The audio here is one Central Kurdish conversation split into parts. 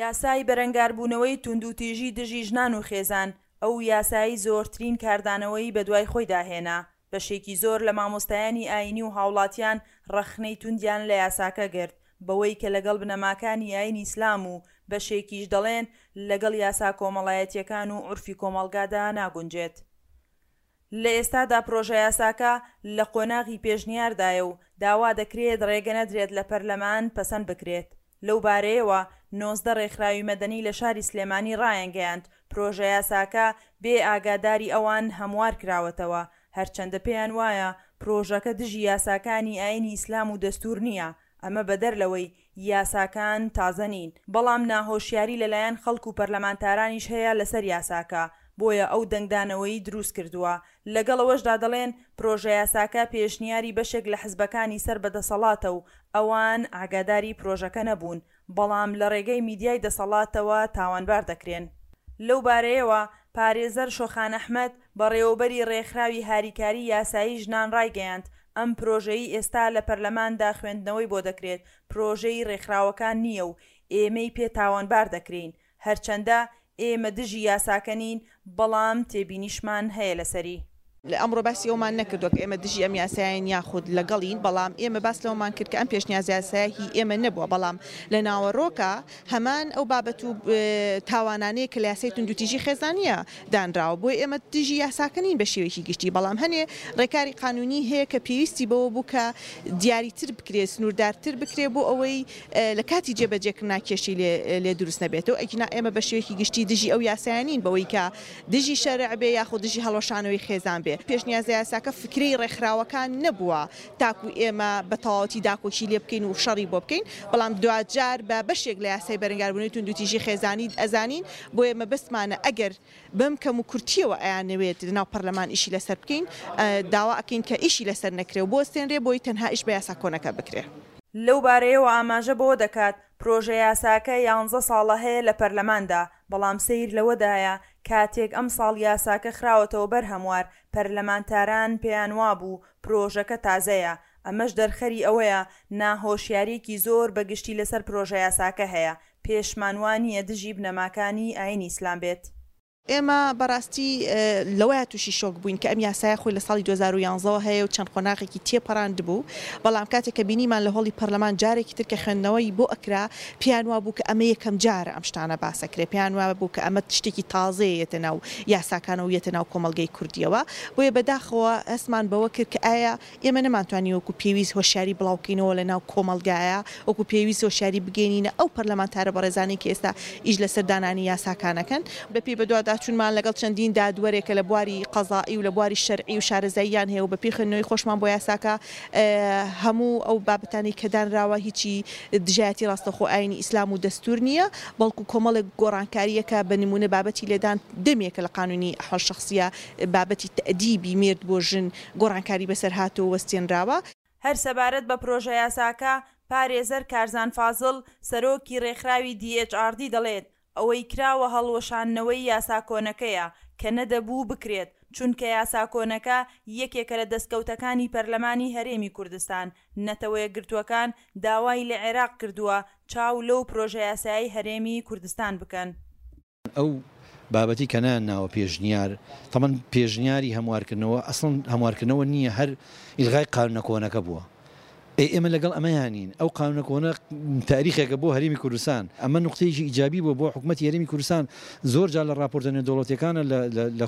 یاسای بەرەنگاربوونەوەی توندوتیژی دژی ژنان و خێزان، ئەو یاسایەی زۆرترین کاردانەوەی بەدوای خۆیدا هێنا، بەشێکی زۆر لە مامۆستایانی ئایینی و هاوڵاتیان ڕەخنەی توندیان لە یاساکە گرت بەوەی کە لەگەڵ بنەماکانی ئایینی ئیسلام و بەشێکیش دەڵێن لەگەڵ یاسا کۆمەڵایەتییەکان و عورفی کۆمەڵگادا ناگونجێت. لە ئێستادا پرۆژەیاساکە لە قۆناغی پێشنیاردایە و داوا دەکرێت ڕێگە نەدرێت لە پەرلەمان پەسەند بکرێت. لەو بارەیەوە 19 ڕێکخراوی مەدەنی لە شاری سلێمانی ڕایانگەیاند، پرۆژەیاساکە بێ ئاگاداری ئەوان هەموار کراوەتەوە، هەرچەندە پێیان وایە پرۆژەکە دژی یاساکانی ئایینی ئیسلام و دەستوور نییە، ئەمە بەدەر لەوەی یاساکان تازە نین، بەڵام ناهۆشیاری لەلایەن خەڵک و پەرلەمانتارانیش هەیە لەسەر یاساکە، بۆیە ئەو دەنگدانەوەی دروستکردووە. لەگەڵ ئەوەشدا دەڵێن، پرۆژەیاساکە پێشنیاری بەشێک لە حزبەکانی سەر بە دەسەڵاتە و ئەوان ئاگاداری پرۆژەکە نەبوون، بەڵام لە ڕێگەی میدیای دەسەڵاتەوە تاوانبار دەکرێن. لەو بارەیەوە پارێزەر شۆخان ئەحمەد، بەڕێوەبەری ڕێکخراوی هاریکاری یاسایی ژنان ڕایگەیاند، ئەم پرۆژەی ئێستا لە پەرلەماندا خوێندنەوەی بۆ دەکرێت، پرۆژەی ڕێکخراوەکان نییە و ئێمەی پێ تاوانبار دەکرێین، هەرچەندە ئێمە دژی یاساکە نین، بەڵام تێبینیشمان هەیە لەسەری. ئەمڕۆ باسی ئەوەمان نەکردووە کە ئێمە دژی ئەم یاسایەین یاخود لەگەڵین، بەڵام ئێمە باس لەوەمان کرد کە ئەم پێشنیازیاسایە هی ئێمە نەبووە، بەڵام لە ناوەڕۆکا هەمان ئەو بابەت و تاوانانەیە کە لە یاسای توندوتیژی خێزانییە دانراوە، بۆیە ئێمە دژی یاساکە نین بە شێوەیەکی گشتی، بەڵام هەنێ ڕێکاری قانونی هەیە کە پێویستی بەوە بوو کە دیاریتر بکرێت، سنووردارتر بکرێت بۆ ئەوەی لە کاتی جێبەجێکردنا کێشەی لێ دروست نەبێتەوە، ئەگینا ئێمە بە شێوەیەکی گشتی دژی ئەو یاسایە نین بەوەی کە دژی شەرع بێ یاخود دژی هەڵوەشانەوەی خێزان بێ. پێشنیازەیاساکە فکرەی ڕێکخراوەکان نەبووە تاکو ئێمە بە تەواوەتی داکۆکی لێ بکەین و شەڕی بۆ بکەین، بەڵام دواجار بە بەشێک لە یاسای بەرەنگاربوونەوەی توندوتیژی خێزانی ئەزانین، بۆیە مەبەستمانە ئەگەر بەم کەم و کورتیەوە ئەیانەوێت لەناو پەرلەمان ئیشی لەسەر بکەین، داوا ئەکەین کە ئیشی لەسەر نەکرێ و بوەستێنرێ بۆی تەنها ئیش بە یاسا کۆنەکە بکرێ. لەو بارەیەوە ئاماژە بەوە دەکات، پرۆژەیاساکە یانزە ساڵە هەیە لە پەرلەماندا، بەڵام سەیر لەوەدایە کاتێک ئەمساڵ یاساکە خراوەتەوە بەر هەموار، پەرلەمانتاران پێیانوابوو پرۆژەکە تازەیە، ئەمەش دەرخەری ئەوەیە ناهۆشیارییەکی زۆر بە گشتی لەسەر پرۆژەیاساکە هەیە، پێشمان وانییە دژی بنەماکانی ئایینی ئیسلام بێت. ئێمە بەڕاستی لەوەیا تووشی شۆک بووین کە ئەم یاسایە خۆی لە ساڵی 2011 ەوە هەیە و چەند قۆناغێکی تێپەڕاندبوو، بەڵام کاتێک کە بینیمان لە هۆڵی پەرلەمان جارێکی تر کە خوێندنەوەی بۆ ئەکرا پێیان وابوو کە ئەمە یەکەم جارە ئەم شتانە باس ئەکرێ، پێیان وابوو کە ئەمە شتێکی تازەیە یەتە ناو یاساکانەوە و یەتە ناو کۆمەڵگەی کوردییەوە، بۆیە بەداخەوە هەستمان بەوە کرد کە ئایا ئێمە نەمانتوانی وەکو پێویست هۆشیاری بڵاوکەینەوە لە ناو کۆمەڵگایە، وەکو پێویست هۆشیاری بگەینینە ئەو پەرلەمانتارە بەڕێزانەی کە ئێستا ئیش لەسەر دانانی یاساکان ئەکەن. بەپێی بەدواداچوونمان لەگەڵ چەندین دادوەرێک کە لە بواری قەزائی و لە بواری شەرعی و شارەزاییان هەیە و بەپێی خوێندنەوەی خۆشمان بۆ یاساکە هەموو ئەو بابەتانەی کە دانراوە هیچی دژایەتی ڕاستەوخۆ ئایینی ئیسلام و دەستوور نییە بەڵکو کۆمەڵێک گۆڕانکارییەکە بە نموونە بابەتی لێدان دەمێکە لە قانونی ئەحوال شەخسییە بابەتی تەئدیبی مێرد بۆ ژن گۆڕانکاری بەسەر هاتووە و وەستێنراوە. هەر سەبارەت بە پرۆژەیاساکە، پارێزەر کارزان فازڵ، سەرۆکی رێکخراوی DHRD دەڵێت، ئەوەی کراوە هەڵوەشاندنەوەی یاسا کۆنەکەیە کە نەدەبوو بکرێت، چونکە یاسا کۆنەکە یەکێکە لە دەستکەوتەکانی پەرلەمانی هەرێمی کوردستان، نەتەوەیەکگرتووەکان داوای لە عێراق کردووە چاو لەو پرۆژەیاسایەی هەرێمی کوردستان بکەن. ئەو بابەتی کە نایان ناوە پێشنیار، تەبعەن پێشنیاری هەموارکردنەوە ئەسڵەن هەموارکردنەوە نییە هەر ئیلغای قانونە کۆنەکە بووە. ئەی ئێمە لەگەڵ ئەمەیا نین. ئەو قانونە کۆنە تاریخێکە بۆ هەرێمی کوردستان. ئەمە نوقتەیەکی ئیجابی بووە بۆ حکومەتی هەرێمی کوردستان. زۆر جار لە ڕاپۆرتە نێودەوڵەتیەکانە لە لە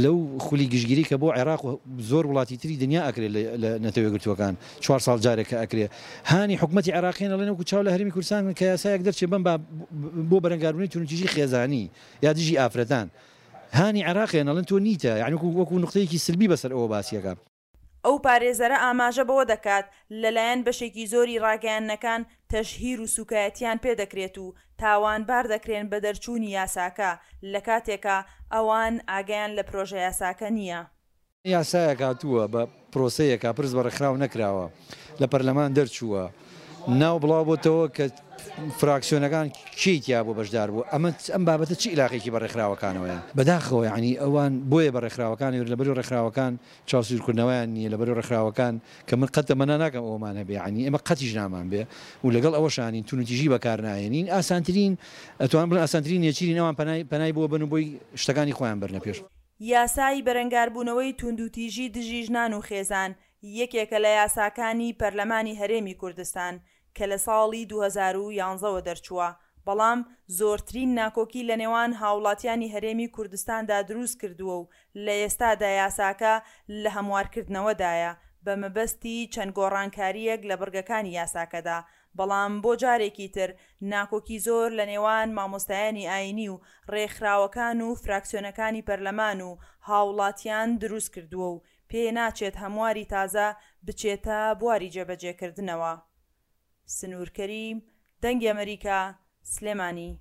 لەو خولی گشتگیری کە بۆ عێراق و زۆر وڵاتی تری دنیا ئەکرێت لە نەتەوە یەکگرتووەکان چوار ساڵ جارێک کە ئەکرێ هانی حکومەتی عێراقیان ئەڵێن وەکو چاو لە هەرێمی کوردستان بکەن کە یاسایەک دەرچێ بەم با بۆ بەرەنگاربوونەوەی توندوتیژی خێزانی یا دژی ئافرەتان هانی عێراقیان ئەڵێن تۆ نیتە یانی وەکو وەکو نوقتەیەکی سلبی بەسەر ئەوە باسیەکە. ئەو پارێزەرە ئاماژە بەوە دەکات، لەلایەن بەشێکی زۆری ڕاگەیاندنەکان تەشهیر و سوکایەتیان پێدەکرێت و تاوانبار دەکرێن بە دەرچوونی یاساکە، لەکاتێکا ئەوان ئاگایان لە پرۆژەیاساکە نییە. یاسایەک هاتووە بە پرۆسەیەکا پرس بە ڕێکخراو نەکراوە لە پەرلەمان دەرچووە ناو بڵاو بۆتەوە کە فراکسیۆنەکان کێی تیا بووە بەشدار بووە ئەمە ئەم بابەتە چ ئیلاقێکی بە ڕێکخراوەکانەوەیە؟ بەداخەوە یانی ئەوان بۆیە بە ڕێکخراوەکانەوە لەبەرو ڕێکخراوەکان چاوسوورکردنەوەیان نییە لەبەرو ڕێکخراوەکان کە من قەت تەمەنا ناکەم ئەوەمان هەبێ یانی ئێمە قەتیش نامان بێ و لەگەڵ ئەوەشانین توندوتیژی بەکار ناهێنین ئاسانترین ئەتوانم بڵێم ئاسانترین نێچیرین ئەوان پەنای پەنای بۆ بەن و بۆی شتەکانی خۆیان بەرنە پێش. یاسای بەرەنگاربوونەوەی توندوتیژی دژی ژنان و خێزان یەکێکە لە یاساکانی پەرلەمانی هەرێمی کوردستان کە لە ساڵی 2011 وە دەرچووە، بەڵام زۆرترین ناکۆکی لە نێوان هاوڵاتیانی هەرێمی کوردستاندا دروست کردووە و لە ئێستادا یاساکە لە هەموارکردنەوەدایە بە مەبەستی چەند گۆڕانکارییەک لە بڕگەکانی یاساکەدا، بەڵام بۆ جارێکی تر ناکۆکی زۆر لە نێوان مامۆستایانی ئاینی و ڕێکخراوەکان و فراکسیۆنەکانی پەرلەمان و هاوڵاتیان دروست کردووە و پێ ناچێت هەمواری تازە بچێتە بواری جێبەجێکردنەوە. سنوور کەریم، دەنگی ئەمەریکا، سلێمانی.